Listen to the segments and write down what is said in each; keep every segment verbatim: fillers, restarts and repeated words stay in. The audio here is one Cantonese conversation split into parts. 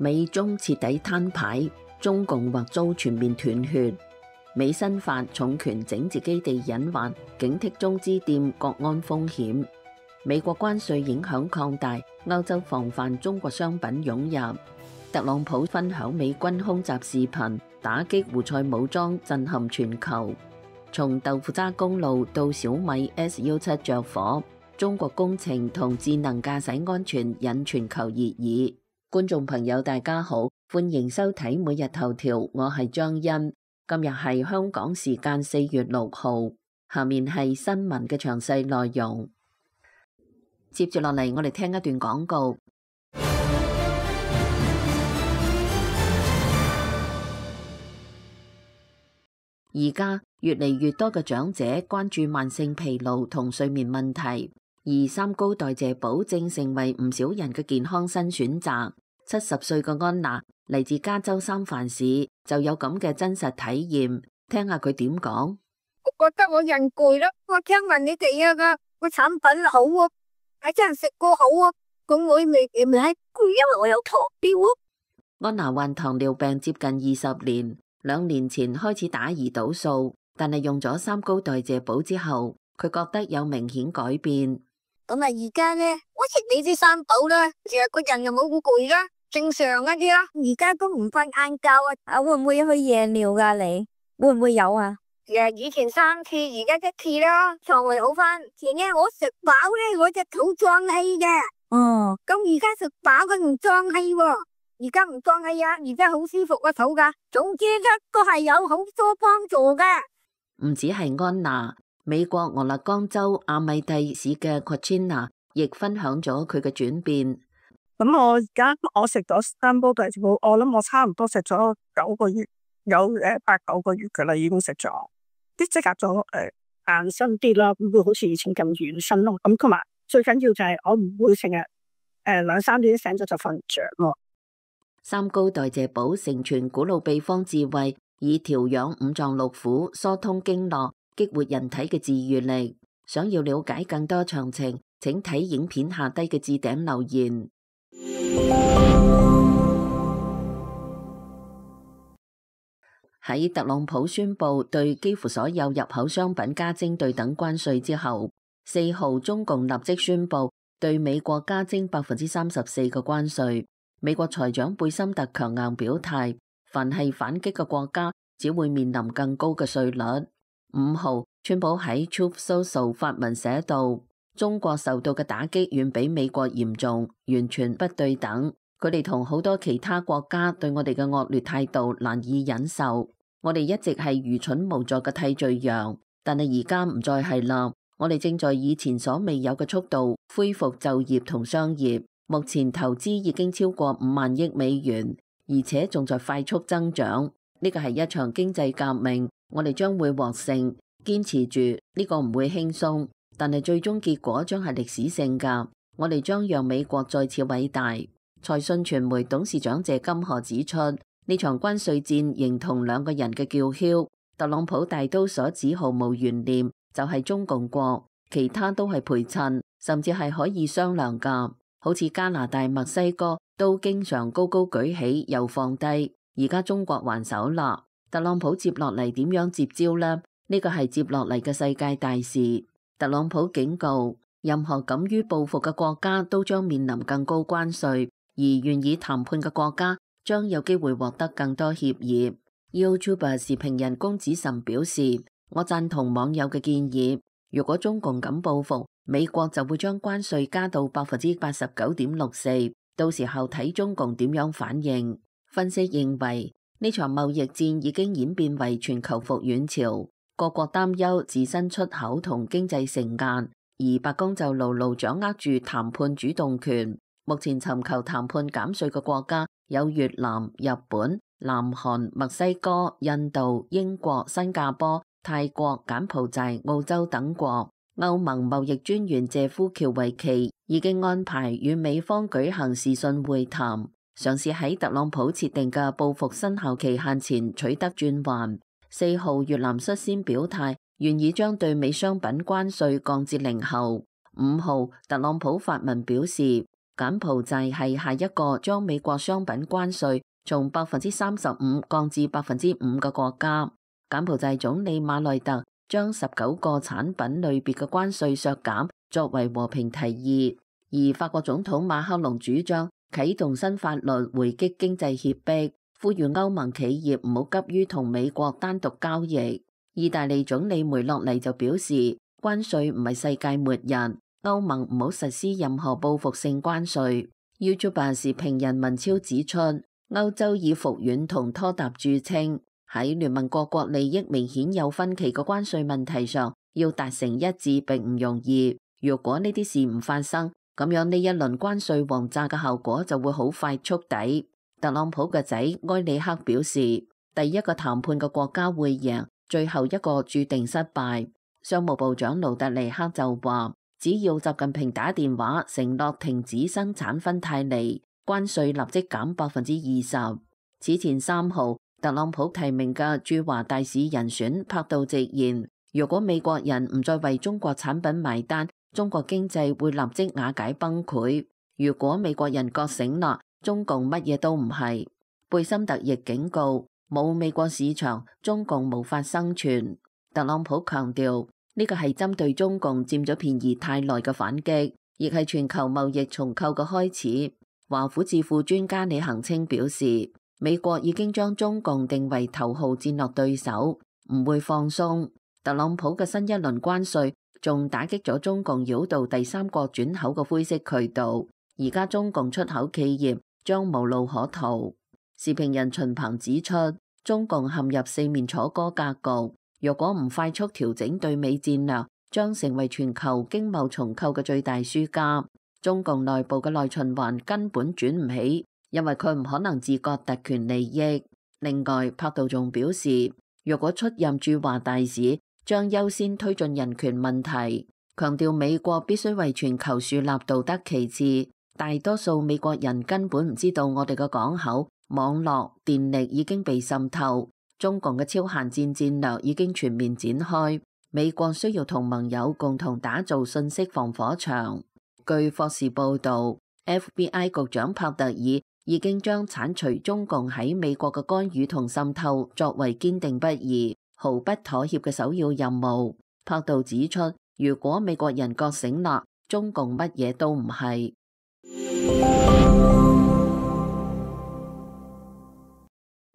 美中徹底攤牌，中共或遭全面斷血。美新發重拳整治基地隱患，警惕中資店國安風險。美國關稅影響擴大，歐洲防範中國商品湧入。特朗普分享美軍空襲視頻，打擊胡塞武裝震撼全球。從豆腐渣公路到小米 S 十七着火，中國工程同智能駕駛安全引全球熱議。觀眾朋友大家好，歡迎收睇每日頭條，我係張欣。今日係香港時間四月六號，下面係新聞嘅詳細內容。接住落嚟，我哋聽一段廣告。而家越嚟越多嘅長者關注慢性疲勞同睡眠問題，而三高代謝寶正成為唔少人嘅健康新選擇。七十歲嘅安娜嚟自加州三藩市，就有咁嘅真實體驗，聽下佢點講。我覺得我人攰啦，我聽聞你哋啊個個產品好啊，係真係食過好啊，咁我未未係攰，因為我有糖尿啊。安娜患糖尿病接近二十年，兩年前開始打胰島素，但係用咗三高代謝寶之後，佢覺得有明顯改變。咁啊，而家咧，我食你啲三寶啦，成日個人又冇好攰啦。正常一啲啦，而家都唔瞓晏覺啊！啊，會唔會去夜尿噶？你會唔會有啊？誒，以前三次，而家一次啦，腸胃好翻。前日我食飽咧，我隻肚脹氣嘅。哦，咁而家食飽佢唔脹氣喎，而家唔脹氣啊，而家好舒服個肚噶。總之咧，都係有好多幫助嘅。唔止係安娜，美國俄勒岡州阿米蒂市嘅 Quachina 亦分享咗佢嘅轉變。咁我而家我食咗三煲代謝寶，我諗我差唔多食咗九個月，有誒八九個月噶啦，已經食咗，啲即刻咗誒硬身啲啦，唔會好似以前咁軟身咯。咁同埋最緊要就係我唔會成日誒兩三點醒咗就瞓唔着咯。三高代謝寶承傳古老秘方智慧，以調養五臟六腑、疏通經絡、激活人體嘅治癒力。想要了解更多詳情，請睇影片下低嘅置頂留言。喺特朗普宣布對幾乎所有入口商品加徵對等關稅之後，四號中共立即宣布對美國加徵百分之三十四嘅關稅。美國財長貝森特強硬表態，凡係反擊嘅國家只會面臨更高嘅稅率。五號，川普喺 Truth Social 發文寫道，中國受到嘅打擊遠比美國嚴重，完全不對等。佢哋同好多其他國家對我哋嘅惡劣態度難以忍受。我哋一直係愚蠢無助嘅替罪羊，但係而家唔再係啦。我哋正在以前所未有嘅速度恢復就業同商業。目前投資已經超過五萬億美元，而且仲在快速增長。呢個係一場經濟革命，我哋將會獲勝。堅持住，呢個唔會輕鬆，但係最終結果將係歷史性㗎。我哋將讓美國再次偉大。財訊傳媒董事長謝金河指出，呢場關稅戰形同兩個人嘅叫囂。特朗普大刀所指毫無懸念，就係中共國，其他都係陪襯，甚至係可以商量㗎。好似加拿大、墨西哥都經常高高舉起又放低，而家中國還手啦。特朗普接落嚟點樣接招呢？呢個係接落嚟嘅世界大事。特朗普警告，任何敢於報復嘅國家都將面臨更高關稅，而願意談判嘅國家將有機會獲得更多協議。YouTuber 視頻人公子岑表示，我贊同網友嘅建議，如果中共敢報復，美國就會將關稅加到百分之八十九點六四，到時候睇中共點樣反應。分析認為，呢場貿易戰已經演變為全球復原潮，各國擔憂自身出口同經濟承壓，而白宮就牢牢掌握住談判主動權。目前尋求談判減稅嘅國家有越南、日本、南韓、墨西哥、印度、英國、新加坡、泰國、柬埔寨、澳洲等國。歐盟貿易專員謝夫喬維奇已經安排與美方舉行視訊會談，嘗試喺特朗普設定嘅報復生效期限前取得轉圜。四號，越南率先表態，願意將對美商品關稅降至零後。五號，特朗普發文表示，柬埔寨係下一個將美國商品關稅從百分之三十五降至百分之五嘅國家。柬埔寨總理馬內特將十九個產品類別嘅關稅削減作為和平提議，而法國總統馬克龍主張啟動新法律回擊經濟脅迫，呼籲歐盟企業唔好急於同美國單獨交易。意大利總理梅洛尼就表示，關稅唔係世界末日，歐盟唔好實施任何報復性關稅。YouTuber 視頻人文超指出，歐洲以服軟同拖沓著稱，喺聯盟各國利益明顯有分歧嘅關稅問題上，要達成一致並唔容易。如果呢啲事唔發生，咁樣呢一輪關稅王炸嘅效果就會好快觸底。特朗普嘅仔埃里克表示，第一個談判嘅國家會贏，最後一個注定失敗。商務部長盧特尼克就話，只要習近平打電話承諾停止生產芬太尼，關稅立即減百分之二十。此前三號，特朗普提名嘅駐華大使人選柏杜直言，如果美國人唔再為中國產品買單，中國經濟會立即瓦解崩潰。如果美國人覺醒啦，中共乜嘢都唔係。貝森特亦警告，冇美國市場，中共無法生存。特朗普強調，呢個係針對中共佔咗便宜太耐嘅反擊，亦係全球貿易重構嘅開始。華府智庫專家李恒清表示，美國已經將中共定為頭號戰略對手，唔會放鬆。特朗普嘅新一輪關稅仲打擊咗中共繞道第三國轉口嘅灰色渠道，而家中共出口企業將無路可逃。時評人秦鵬指出，中共陷入四面楚歌格局，若果唔快速調整對美戰略，將成為全球經貿重構嘅最大輸家。中共內部嘅內循環根本轉唔起，因為佢唔可能自覺特權利益。另外，柏杜仲表示，若果出任駐華大使，將優先推進人權問題，強調美國必須為全球樹立道德旗幟。大多數美國人根本唔知道我哋嘅港口、網絡、電力已經被滲透，中共嘅超限戰戰略已經全面展開。美國需要同盟友共同打造信息防火牆。據霍士報導 ，F B I 局長帕特爾已經將剷除中共喺美國嘅干預同滲透作為堅定不移、毫不妥協嘅首要任務。帕杜指出，如果美國人覺醒啦，中共乜嘢都唔係。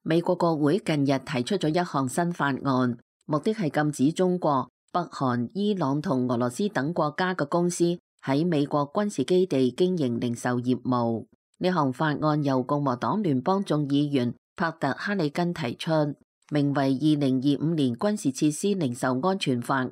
美國國會近日提出咗一項新法案，目的係禁止中國、北韓、伊朗同俄羅斯等國家嘅公司喺美國軍事基地經營零售業務。呢項法案由共和黨聯邦眾議員帕特·哈里根提出，名為《二零二五年軍事設施零售安全法案》。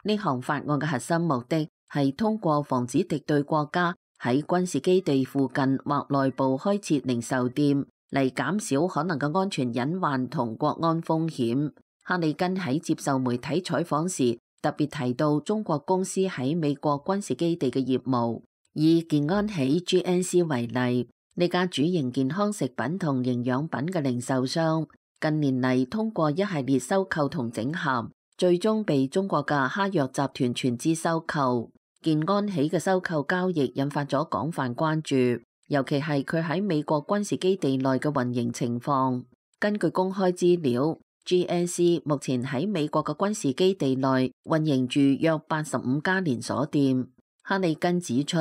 呢項法案嘅核心目的係通過防止敵對國家喺軍事基地附近或內部開設零售店，嚟減少可能嘅安全隱患同國安風險。哈里根喺接受媒體採訪時特別提到中國公司喺美國軍事基地嘅業務。以健安喜 G N C 為例，呢家主營健康食品同營養品嘅零售商，近年嚟通過一系列收購同整合，最終被中國嘅哈藥集團全資收購。健安喜嘅收購交易引發咗廣泛關注，尤其係佢喺美國軍事基地內嘅運營情況。根據公開資料，G N C 目前喺美國嘅軍事基地內運營住約八十五家連鎖店。哈里根指出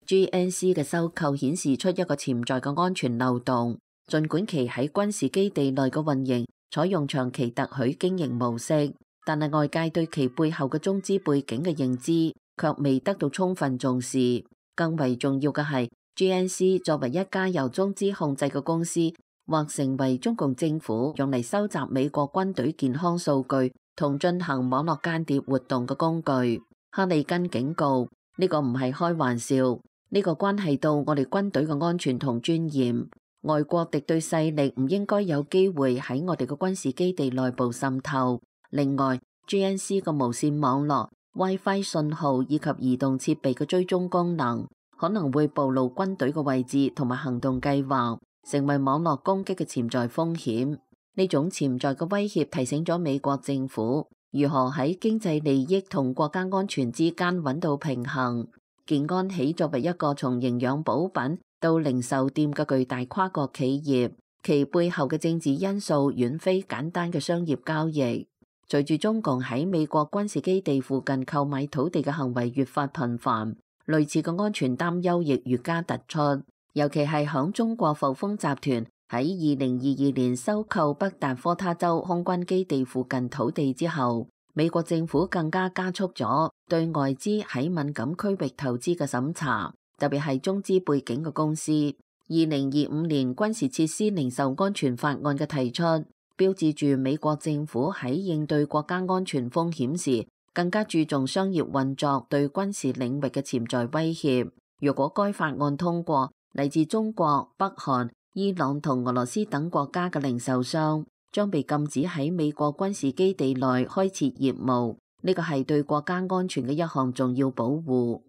，G N C 嘅收購顯示出一個潛在嘅安全漏洞。儘管其喺軍事基地內嘅運營採用長期特許經營模式，但係外界對其背後嘅中資背景嘅認知卻未得到充分重視。更為重要嘅係 ，G N C 作為一家由中資控制嘅公司，或成為中共政府用嚟收集美國軍隊健康數據同進行網絡間諜活動嘅工具。哈里根警告，呢個唔係開玩笑，呢個關係到我哋軍隊嘅安全同尊嚴。外國敵對勢力唔應該有機會喺我哋嘅軍事基地內部滲透。另外 ，G N C 嘅無線網絡、WiFi 信號以及移動設備嘅追蹤功能，可能會暴露軍隊嘅位置同埋行動計劃，成為網絡攻擊嘅潛在風險。呢種潛在嘅威脅提醒咗美國政府如何喺經濟利益同國家安全之間揾到平衡。健安喜作為一個從營養補品到零售店嘅巨大跨國企業，其背後嘅政治因素遠非簡單嘅商業交易。隨住中共喺美國軍事基地附近購買土地嘅行為越發頻繁，類似嘅安全擔憂亦越加突出。尤其係響中國阜豐集團喺二零二二年收購北達科他州空軍基地附近土地之後，美國政府更加加速咗對外資喺敏感區域投資嘅審查，特別係中資背景嘅公司。二零二五年軍事設施零售安全法案嘅提出，標誌住美國政府喺應對國家安全風險時，更加注重商業運作對軍事領域嘅潛在威脅。如果該法案通過，嚟自中國、北韓、伊朗同俄羅斯等國家嘅零售商將被禁止喺美國軍事基地內開設業務，呢個係對國家安全嘅一項重要保護。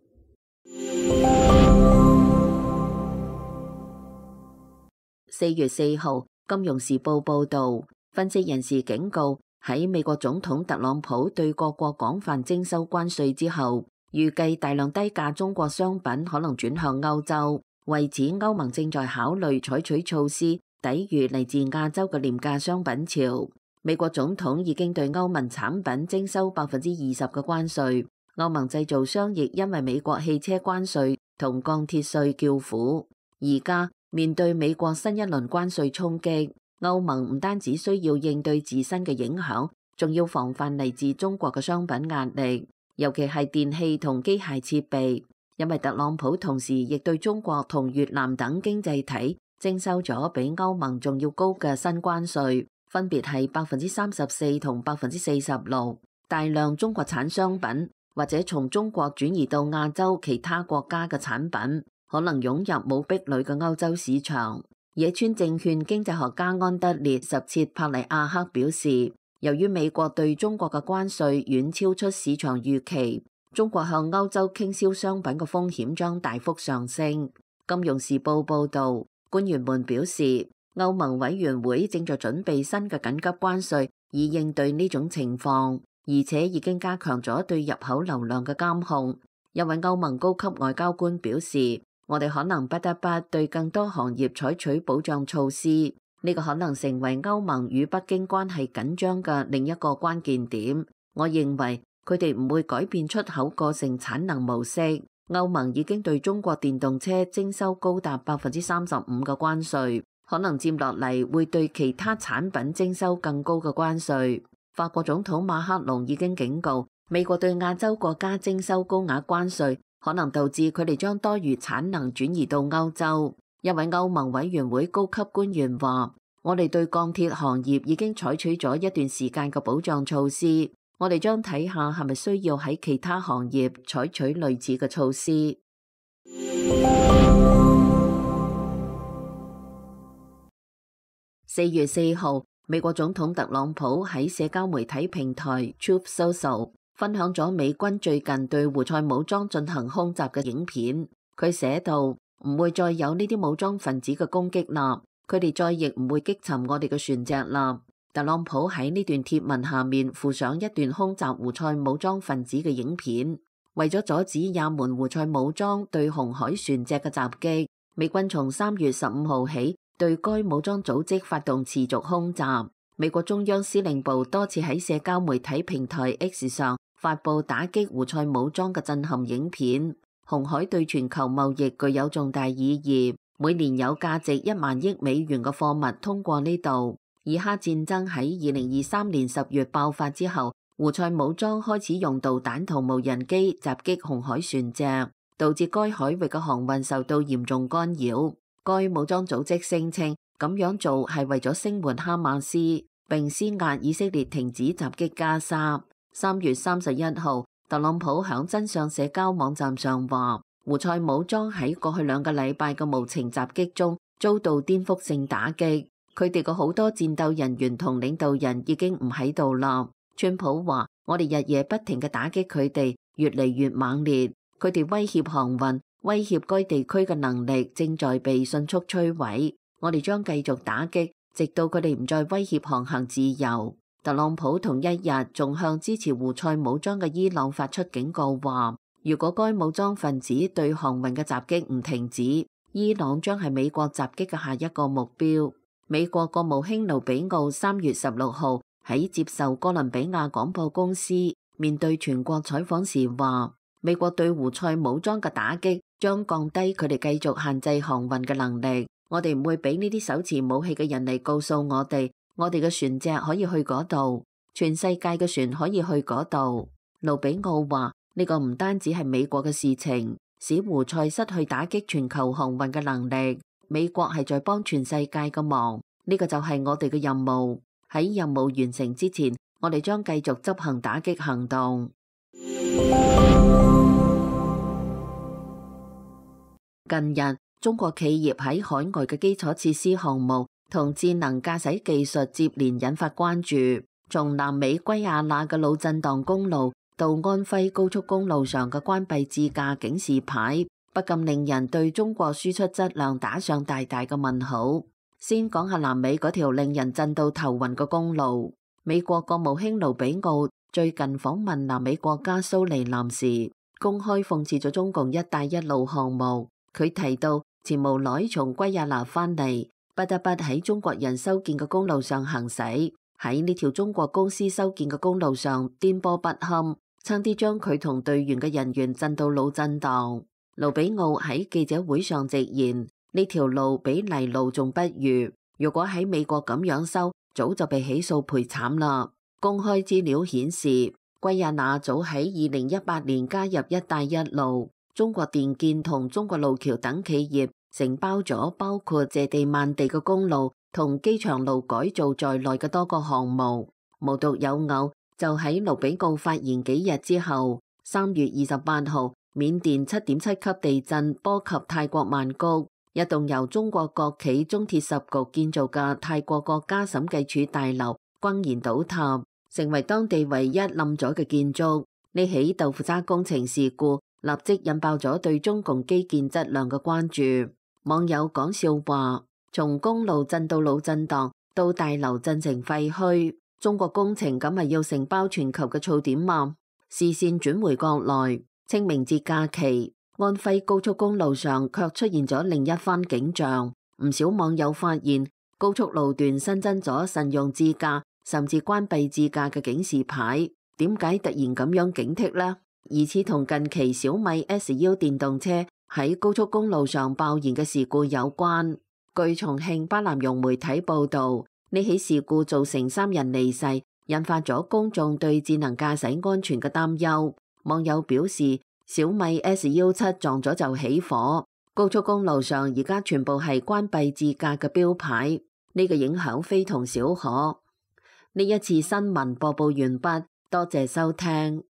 四月四號，《金融時報》報導，分析人士警告，喺美國總統特朗普對各國廣泛徵收關稅之後，預計大量低價中國商品可能轉向歐洲。為此，歐盟正在考慮採取措施抵禦嚟自亞洲嘅廉價商品潮。美國總統已經對歐盟產品徵收百分之二十嘅關稅。歐盟製造商亦因為美國汽車關稅同鋼鐵稅叫苦。而家面對美國新一輪關稅衝擊，歐盟唔單止需要應對自身嘅影響，仲要防範嚟自中國嘅商品壓力，尤其係電器同機械設備。因為特朗普同時亦對中國同越南等經濟體徵收咗比歐盟仲要高嘅新關稅，分別係百分之三十四同百分之四十六。大量中國產商品或者從中國轉移到亞洲其他國家嘅產品，可能湧入冇壁壘嘅歐洲市場。野村證券經濟學家安德烈什切帕利亞克表示，由於美國對中國嘅關稅遠超出市場預期，中國向歐洲傾銷商品嘅風險將大幅上升。金融時報報導，官員們表示，歐盟委員會正在準備新嘅緊急關稅，以應對呢種情況，而且已經加強咗對入口流量嘅監控。一位歐盟高級外交官表示，我哋可能不得不對更多行業採取保障措施，呢個可能成為歐盟與北京關係緊張嘅另一個關鍵點。我認為佢哋唔會改變出口過剩產能模式。歐盟已經對中國電動車徵收高達百分之三十五嘅關稅，可能接落嚟會對其他產品徵收更高嘅關稅。法國總統馬克龍已經警告，美國對亞洲國家徵收高額關稅，可能導致佢哋將多餘產能轉移到歐洲。一位歐盟委員會高級官員話，我哋對鋼鐵行業已經採取咗一段時間嘅保障措施。我哋將睇下係咪需要喺其他行業採取類似嘅措施。四月四號，美國總統特朗普喺社交媒體平台 Truth Social 分享咗美軍最近對胡塞武裝進行空襲嘅影片。佢寫道：唔會再有呢啲武裝分子嘅攻擊啦，佢哋再亦唔會擊沉我哋嘅船隻啦。特朗普喺呢段貼文下面附上一段空襲胡塞武裝分子嘅影片。為咗阻止也門胡塞武裝對紅海船隻嘅襲擊，美軍從三月十五號起對該武裝組織發動持續空襲。美國中央司令部多次喺社交媒體平台 X 上發布打擊胡塞武裝嘅震撼影片。紅海對全球貿易具有重大意義，每年有價值一萬億美元嘅貨物通過呢度。以哈戰爭喺二零二三年十月爆發之後，胡塞武裝開始用導彈同無人機襲擊紅海船隻，導致該海域嘅航運受到嚴重干擾。該武裝組織聲稱咁樣做係為咗聲援哈馬斯，並施壓以色列停止襲擊加沙。三月三十一號，特朗普響真相社交網站上話，胡塞武裝喺過去兩個禮拜嘅無情襲擊中遭到顛覆性打擊。佢哋嘅好多戰鬥人員同領導人已經唔喺度啦。川普話：我哋日夜不停嘅打擊佢哋，越嚟越猛烈。佢哋威脅航運，威脅該地區嘅能力正在被迅速摧毀。我哋將繼續打擊，直到佢哋唔再威脅航行自由。特朗普同一日仲向支持胡塞武裝嘅伊朗發出警告，話如果該武裝分子對航運嘅襲擊唔停止，伊朗將係美國襲擊嘅下一個目標。美國國務卿盧比奧三月十六號喺接受哥倫比亞廣播公司面對全國採訪時話，美國對胡塞武裝嘅打擊將降低佢哋繼續限制航運嘅能力。我哋唔會俾呢啲手持武器嘅人嚟告訴我哋，我哋嘅船隻可以去嗰度，全世界嘅船可以去嗰度。盧比奧話，呢個唔單止係美國嘅事情，使胡塞失去打擊全球航運嘅能力，美國係在幫全世界嘅忙，呢個就係我哋嘅任務。喺任務完成之前，我哋將繼續執行打擊行動。近日，中國企業喺海外嘅基礎設施項目同智能駕駛技術接連引發關注。從南美圭亞那嘅腦震盪公路到安徽高速公路上嘅關閉自駕警示牌，不禁令人對中國輸出質量打上大大嘅問號。先講下南美嗰條令人震到頭暈嘅公路。美國國務卿盧比奧最近訪問南美國家蘇利南時，公開諷刺咗中共一帶一路項目。佢提到，前無奈從圭亞那返嚟，不得不喺中國人修建嘅公路上行駛，喺呢條中國公司修建嘅公路上顛簸不堪，差啲將佢同隊員嘅人員震到腦震盪。盧比奧喺記者會上直言，呢條路比泥路仲不如，如果喺美國咁樣修，早就被起訴賠慘啦。公開資料顯示，圭亞那早喺二零一八年加入一帶一路，中國電建同中國路橋等企業承包咗包括謝地萬地嘅公路同機場路改造在內嘅多個項目。無獨有偶，就喺盧比奧發言幾日之後，三月二十八號，緬甸七點七級地震波及泰國曼谷，一棟由中國國企中鐵十局建造嘅泰國國家審計處大樓轟然倒塌，成為當地唯一冧咗嘅建築。呢起豆腐渣工程事故立即引爆咗對中共基建質量嘅關注。網友講笑話，從公路震到腦震盪，到大樓震成廢墟，中國工程咁係要承包全球嘅噪點嗎？視線轉回國內，清明節假期，安徽高速公路上卻出現咗另一番景象。唔少網友發現高速路段新增咗慎用自駕甚至關閉自駕嘅警示牌，點解突然咁樣警惕呢？疑似同近期小米 S U 電動車喺高速公路上爆燃嘅事故有關。據重慶巴南融媒體報道，呢起事故造成三人離世，引發咗公眾對智能駕駛安全嘅擔憂。網友表示，小米 S U 七撞咗就起火，高速公路上而家全部係關閉自駕嘅標牌，呢個影響非同小可。呢一次新聞播報完畢，多謝收聽。